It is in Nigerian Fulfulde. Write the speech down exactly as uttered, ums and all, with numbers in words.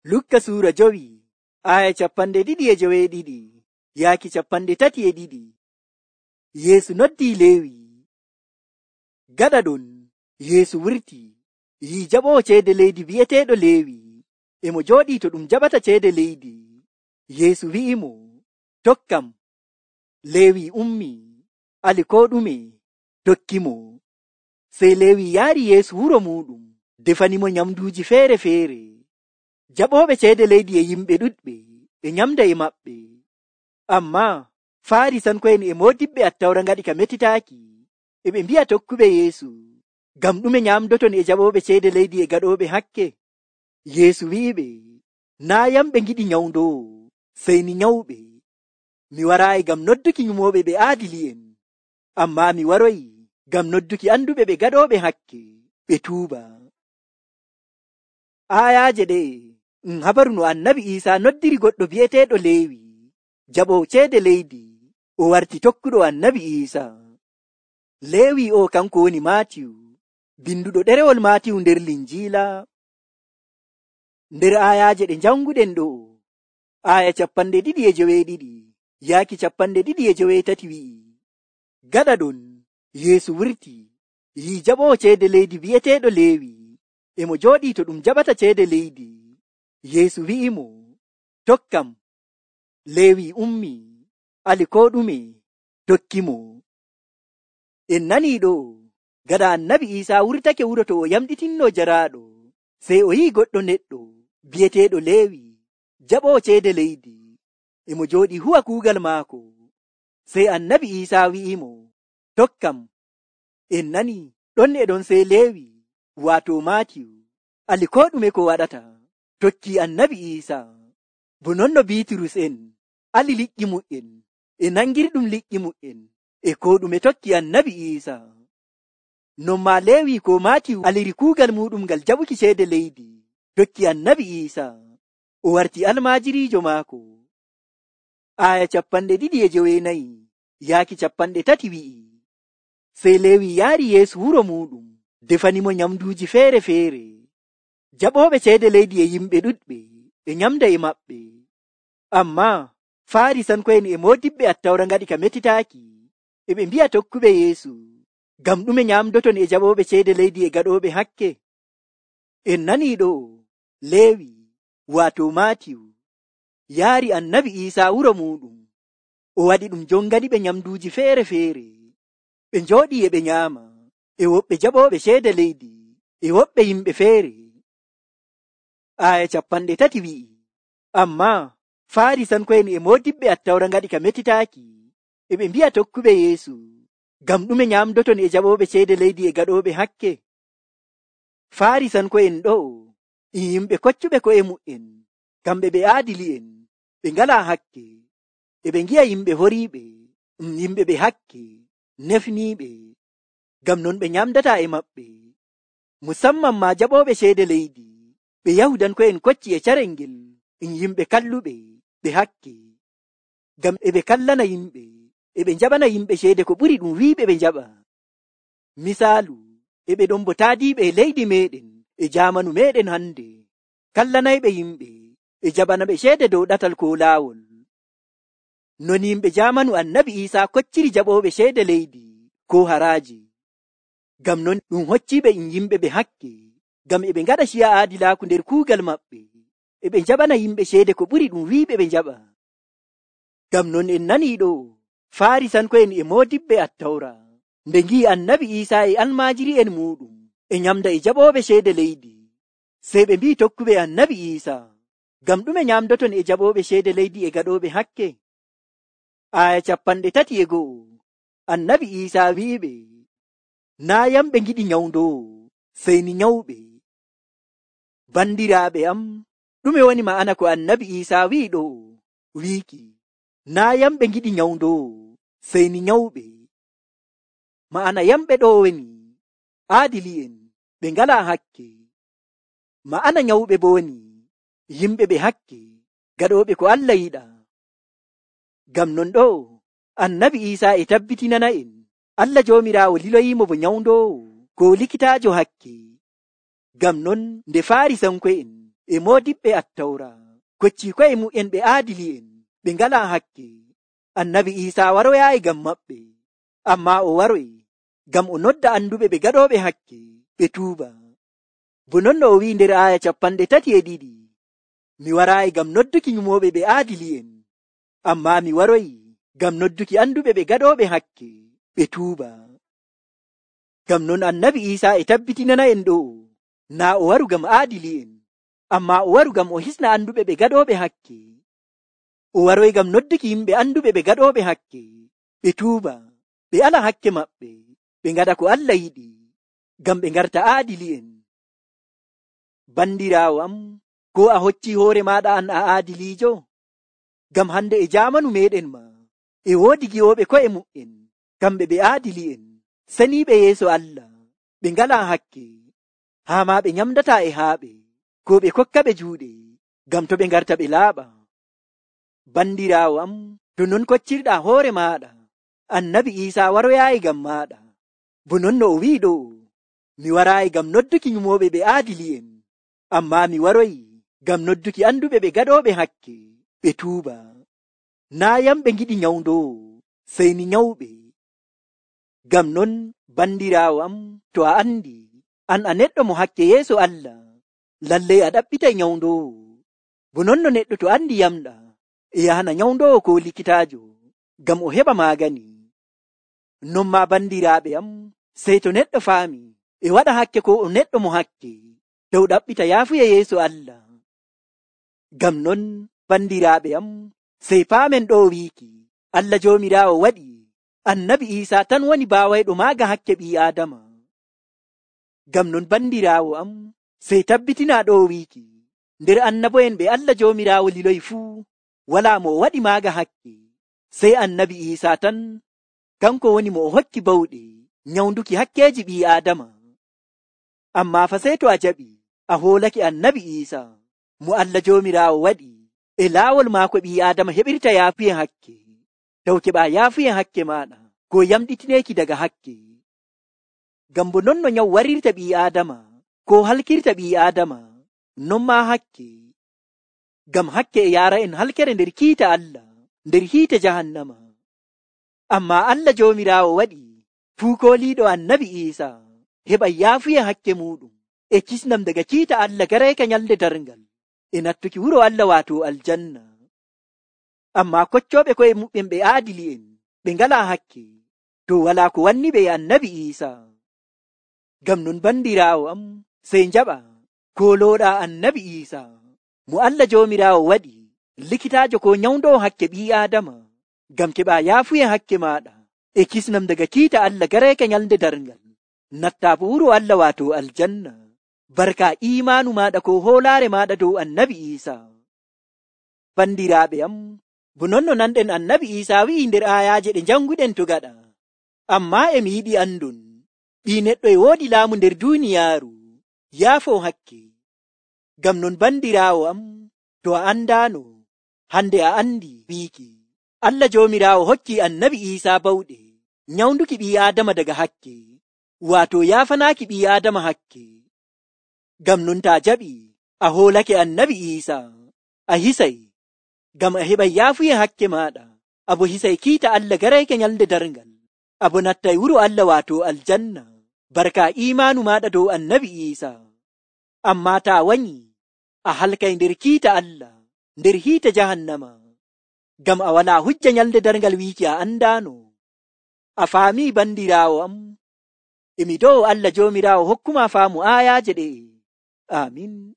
Lukka suura jowi aya cappande ɗiɗi e joweeɗiɗi yaaki cappande tati e ɗiɗi. Yeesu noddii Leewi. Gaɗa ɗon Yeesu wurti yii jaɓoowo ceede leydi bi'eteeɗo Leewi e mo jooɗii to ɗum jaɓata ceede leydi. Yeesu wi'imo, tokkam. Leewi ummi ali koo ɗume tokkimo. Sey Leewi yaari Yeesu wuro muuɗum, defanimo nyamduuji feere-feere. Jaɓooɓe ceede leydi e yimɓe ɗuɗɓe ɓe nyamda e maɓɓe. Ammaa Faarisanko'en e moodiɓɓe Attawra ngaɗi ka metitaaki, e ɓe mbi'a tokkuɓe Yeesu, ngam ɗume nyamdoton e jaɓooɓe ceede leydi e gaɗooɓe hakke? Yeesu wi'iɓe, naa yam ɓe ngiɗi nyawndoowo, sey ni nyawɓe. Mi waraayi ngam nodduki nyumooɓe ɓe aadili'en, ammaa mi waroyi ngam nodduki anduɓe ɓe gaɗooɓe hakke ɓe tuuba. Aayaaje ɗe'e ɗum habaru no Annabi Iisaa noddiri goɗɗo bi'eteeɗo Leewi, jaɓoowo ceede leydi, o warti tokkuɗo Annabi Iisaa. Leewi o kanko woni Maatiyu, binduɗo ɗerewol Maatiyu nder Linjiila. Nder aayaaje ɗe janguɗen ɗo, aaya cappande ɗiɗi e joweeɗiɗi yaaki cappande ɗiɗi e joweetati wi'i, gaɗa ɗon Yeesu wurti yii jaɓoowo ceede leydi bi'eteeɗo Leewi e mo jooɗii to ɗum jaɓata ceede leydi. Yeesu wi'imo, tokkam. Leewi ummi ali koo ɗume tokkimo. En nanii ɗo, gaɗa Annabi Iisaa wurtake wuro to o yamɗitinnoo jaraaɗo, sey o yi'i goɗɗo neɗɗo bi'eteeɗo Leewi, jaɓoowo ceede leydi, e mo jooɗii huwa kuugal maako. Sey Annabi Iisaa wi'imo, tokkam. En nanii ɗon e ɗon sey Leewi, waato Maatiyu, ali koo ɗume ko waɗata, tokkii Annabi Iisaa. Bo non no Biiturus en ali liƴƴi mu'en e nangirɗum liƴƴi mu'en e koo ɗume tokki Annabi Iisaa. Non maa Leewi ko Maatiyu aliri kuugal muɗum ngal jaɓuki ceede leydi, tokki Annabi Iisaa, o warti almaajiriijo maako. Aaya cappande ɗiɗi e joweenayi yaaki cappande tati wi'i, sey Leewi yaari Yeesu wuro muuɗum, defanimo nyamduuji feere-feere. Jaɓooɓe ceede leydi e yimɓe ɗuɗɓe ɓe nyamda e maɓɓe. Ammaa Faarisanko'en e moodiɓɓe Attawra ngaɗi ka metitaaki, e ɓe mbi'a tokkuɓe Yeesu, ngam ɗume nyamdoton e jaɓooɓe ceede leydi e gaɗooɓe hakke? En nanii ɗo, Leewi, waato Maatiyu, yaari Annabi Iisaa wuro muuɗum, o waɗi ɗum jonganiɓe nyamduuji feere-feere. Ɓe njooɗii e ɓe nyaama, e woɓɓe jaɓooɓe ceede leydi, e woɓɓe yimɓe feere. Aaya cappande tati wi'i, ammaa Faarisanko'en e moodiɓɓe Attawra ngaɗi ka metitaaki, e ɓe mbi'a tokkuɓe Yeesu, ngam ɗume nyamdoton e jaɓooɓe ceede leydi e gaɗooɓe hakke? Faarisanko'en ɗo e yimɓe koccuɓe ko'e mu'en, kamɓe ɓe aadili'en, ɓe ngalaa hakke, e ɓe ngi'a yimɓe horiiɓe, ɗum yimɓe ɓe hakke, nefniiɓe, ngam non ɓe nyamdataa e maɓɓe, musamman maa jaɓooɓe ceede leydi. Ɓe Yahudanko'en kocci e carel ngel ɗum yimɓe kalluɓe, ɓe hakke, ngam e ɓe kallana yimɓe, e ɓe njaɓana yimɓe ceede ko ɓuri ɗum wiiɓe ɓe njaɓa. Misaalu, e ɓe ɗon bo taadiiɓe e leydi meeɗen e jaamanu meeɗen hande, kallanayɓe yimɓe e jaɓana ɓe ceede dow ɗatal ko laawol. Non yimɓe jaamanu Annabi Iisaa kocciri jaɓooɓe ceede leydi ko haraaji. Ngam non ɗum hocciiɓe ɗum yimɓe ɓe hakke, ngam e ɓe ngaɗa ciya aadilaaku nder kuugal maɓɓe, e ɓe njaɓana yimɓe ceede ko ɓuri ɗum wiiɓe ɓe njaɓa. Ngam non en nanii ɗo, Faarisanko'en e moodiɓɓe Attawra, nde ngi'i Annabi Iisaa e almaajiri'en muuɗum e nyamda e jaɓooɓe ceede leydi, sey ɓe mbi'i tokkuɓe Annabi Iisaa, ngam ɗume nyamdoton e jaɓooɓe ceede leydi e gaɗooɓe hakke? Aaya cappande tati e go'o, Annabi Iisaa wi'iɓe, naa yam ɓe ngiɗi nyawndoowo, sey ni nyawɓe. Bandiraaɓe am, ɗume woni ma'ana ko Annabi Iisaa wi'i ɗo, wiiki, naa yam ɓe ngiɗi nyawndoowo, sey ni nyawɓe. Ma'ana yamɓe ɗo woni aadili'en, ɓe ngalaa hakke. Ma'ana nyawɓe bo woni yimɓe ɓe hakke, gaɗooɓe ko Allah yiɗa. Ngam non ɗo, Annabi Iisaa e tabbitinana'en, Allah Joomiraawo liloyiimo bo nyawndoowo ko likitaajo hakke. Ngam non nde Faarisanko'en e moodiɓɓe attawra kocci ko'e mu'en ɓe aadili'en ɓe ngala hakke. Annabi Iisaa waroyaayi ngam maɓɓe, amma o waroyi ngam o nodda anduɓe ɓe gaɗooɓe hakke ɓe tuuba. Bo non no o wi'i nder aaya capanɗe tati e ɗiɗi, mi waraayi ngam nodduki nyumooɓe ɓe aadili'en, amma mi waroyi ngam nodduki anduɓe ɓe gaɗooɓe hakke ɓe tuuba. Ngam non annabi Iisaa e tabbitinana en ɗo naa o waru ngam aadili'en, amma o waru ngam o hisna anduɓe ɓe gaɗooɓe hakke. O waroyi ngam nodduki yimɓe anduɓe ɓe gaɗooɓe hakke ɓe tuuba, ɓe ala hakke maɓɓe, ɓe ngaɗa ko Allah yiɗi, ngam ɓe ngarta aadili'en. Bandiraawo am, ko a hocci hoore maaɗa an a aadiliijo? Ngam hande e jaamanu meɗen ma e woodi gi'ooɓe ko'e mu'en, kamɓe ɓe aadili'en, saniiɓe yeeso Allah, ɓe ngalaa hakke, haa ma ɓe nyamdataa e haaɓe, ko ɓe kokkaɓe juuɗe, ngam to ɓe ngarta ɓe laaɓa. Bandiraawo am, to non koccirɗaa hoore maaɗa, annabi Iisaa waroyaayi ngam maaɗa. Bo non no o wi'i ɗo, mi waraayi ngam nodduki nyumooɓe ɓe aadili'en, amma mi waroyi ngam nodduki anduɓe ɓe gaɗooɓe hakke ɓe tuuba. Naa yamɓe ngiɗi nyawndoowo, sey ni nyawɓe. Ngam non bandiraawo am, to a andi an a neɗɗo mo hakke yeeso Allah, lallay a ɗaɓɓitay nyawndoowo. Bo non no neɗɗo to andi yamɗa e yahana nyawndoowo ko likitaajo ngam o heɓa maagani. Non ma bandiraaɓe am, sey to neɗɗo faami e waɗa hakke ko o neɗɗo mo hakke, dow ɗaɓɓita yaafuya yeeso Allah. Ngam non bandiraaɓe am, sey paamen ɗo wiiki Allah Joomiraawo waɗi annabi Iisaa tan woni baawayɗo maaga hakke ɓii Aadama. Ngam non bandiraawo am, sey tabbitinaa ɗo wiiki nder annabo'en ɓe Allah Joomiraawo liloyi fuu, walaa mo o waɗi maaga hakke, sey annabi Iisaa tan, kanko woni mo o hokki bawɗe nyawnduki hakkeeji ɓii Aadama. Amma fa sey to a jaɓi a hoolake annabi Iisaa mo Allah Joomiraawo waɗi e laawol maako ɓii Aadama heɓirta yaafuye hakke, taw keɓaa yaafuye hakke maaɗa ko yamɗitineeki daga hakke. Ngam bo non no nyawu warirta ɓii Aadama ko halkirta ɓii Aadama, non maa hakke. Ngam hakke e yaara en halkere nder kiita Allah, nder hiite jahannama. Amma Allah Joomiraawo waɗi fuu kooliiɗo annabi Iisaa heɓa yaafuye hakke muɗum e kisnam daga kiita Allah garayka nyalde darngal e nattuki wuro Allah waato aljanna. Amma koccooɓe koye muɓɓen ɓe aadili'en ɓe ngalaa hakke, to walaa ko wanni ɓe e annabi Iisaa. Ngam non bandiraawo am, sey njaɓa koolooɗaa annabi Iisaa mo Allah Joomiraawo waɗi likitaajo ko nyawndoo hakke ɓii Aadama, ngam keɓaa yaafuye hakke maaɗa e kisnam daga kiita Allah garayka nyalde darngal, nattaa bo wuro Allah waato aljanna, barka iimaanu maaɗa ko hoolaare maaɗa dow annabi Iisaa. Bandiraaɓe am, bo non no nanɗen annabi Iisaa wi'i nder aayaaje ɗe njannguɗen to gaɗa, ammaa e mi yiɗi andon ɓii neɗɗo e woodi laamu nder duuniyaaru, yaafoo hakke. Ngam non bandiraawo am, to a andaano, hande a andi wiiki Allah Joomiraawo hokki annabi Iisaa bawɗe nyawnduki ɓii Aadama daga hakke, waato yaafanaaki ɓii Aadama hakke. Ngam non taa jaɓi a hoolake annabi Iisaa, a hisay, ngam a heɓay yaafuye hakke maaɗa, abo hisay kiita Allah garayke nyalde darngal, abo nattay wuro Allah waato aljanna, barka iimaanu maaɗa dow annabi Iisaa. Amma taa wanyi a halkay nder kiita Allah, nder hiite jahannama, ngam a walaa hujja nyalde darngal wiiki a andaano. A faamii bandiraawo am? Emi dow Allah Joomiraawo hokkuma faamu aayaaje ɗe. Amin.